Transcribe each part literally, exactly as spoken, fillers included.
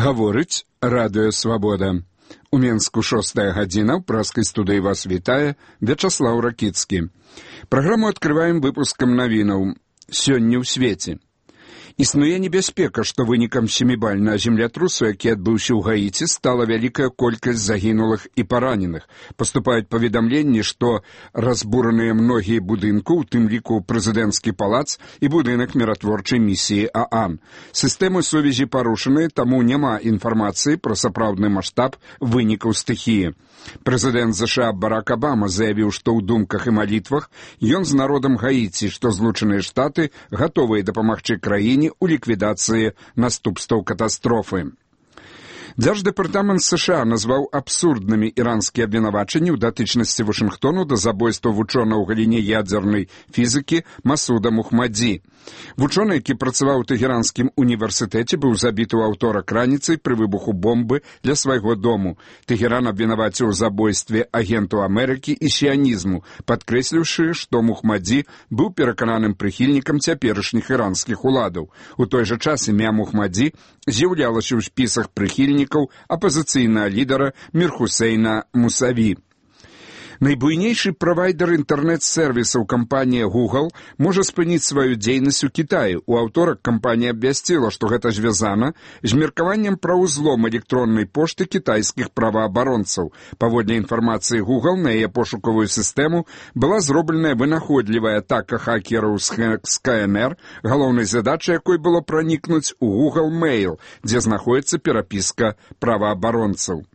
Гаворыць радыё «Свабода». У Менску шостая гадзіна, ў праскай студыі вас вітае Вячаслаў Ракіцкі. Праграму адкрываем выпускам навінаў «Сёння ў свеце». Існуе небяспека, што вынікам сямібальнага землятрусу, які адбыўся ў Гаіці, стала вялікая колькасць загінулых і параненых. Паступаюць паведамленні, што разбураныя многія будынку, у тым ліку прэзідэнцкі палац і будынак міратворчай місіі ААН. Сістэмы сувязі парушаныя, таму няма інфармацыі пра сапраўдны маштаб вынікаў стыхіі. Прэзідэнт ЗША Барак Абама заявіў, што ў думках і малітвах ён з народам Гаіці, што Злучаныя Штаты гатовыя дапамагчы краіне у ліквідацыі наступстваў катастрофы. Дзярждэпартамент США назваў абсурднымі іранскія абвінавачанні ў датычнасці Вашынгтону да забойства вучонага ў галіне ядзернай фізікі Масуда Мухмадзі. Вучоны, які працаваў у Тэхеранскім універсітэце, быў забіты ў аўторак раніцай пры выбуху бомбы для свайго дому. Тэхеран абвінаваціў у забойстве агенту Амерыкі і сіянізму, падкрэсліўшы, што Мухмадзі быў перакананым прыхільнікам цяперашніх іранскіх уладаў. У той жа час імя Мухмадзі з'яўлялася ў спісах прыхільнікаў апазіцыйнага лідара Мір-Хусейна Мусаві. Найбуйнейшы правайдер інтэрнэт-сервісаў кампанія Google можа спыніць сваю дзейнасць у Кітаі. У аўторак кампанія абвясціла, што гэта звязана з меркаваннем пра ўзлом электроннай пошты кітайскіх праваабаронцаў. Паводле інфармацыі Google, на яе пошукавую сістэму была зробленая вынаходлівая атака хакераў з ка эн эр, галоўнай задачай якой было пранікнуць у Google Mail, дзе знаходзіцца перапіска праваабаронцаў.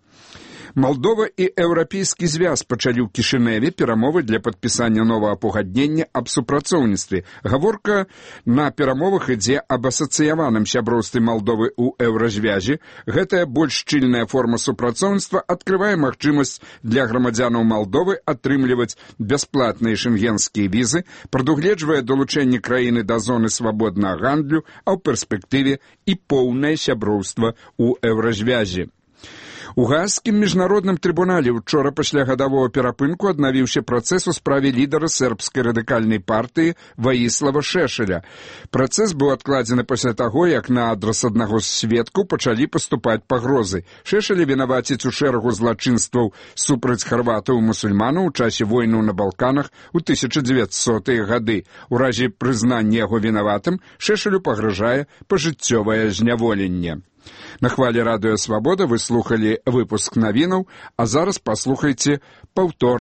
Малдова і Еўрапейскі звяз пачалі ў Кішыневе перамовы для падпісання новага пагаднення аб супрацоўніцтве. Гаворка на перамовах ідзе аб асацыяваным сяброўстве Малдовы ў Еўразвязе. Гэтая больш шчыльная форма супрацоўніцтва адкрывае магчымасць для грамадзянаў Малдовы атрымліваць бясплатныя шэнгенскія візы, прадугледжвае далучэнне краіны да зоны свабоднага гандлю, а ў перспектыве і поўнае сяброўства ў Еўразвязе. У Гаазскім міжнародным трыбунале учора пасля гадавога перапынку аднавіўся працэс у справе лідара сербскай радыкальнай партыі Ваіслава Шешеля. Працэс быў адкладзены пасля таго, як на адрас аднаго з сведкаў пачалі паступаць пагрозы. Шешеля вінаваціць у шэрагу злачынстваў супраць харватаў і мусульманаў у часе войны на Балканах у тысяча дзевяцьсотыя гады. У разе прызнання яго вінаватым Шешелю пагражае пажыццёвае зняволенне. На хвалі радыё «Свабода» вы слухалі выпуск навінаў, а зараз паслухайце паўтор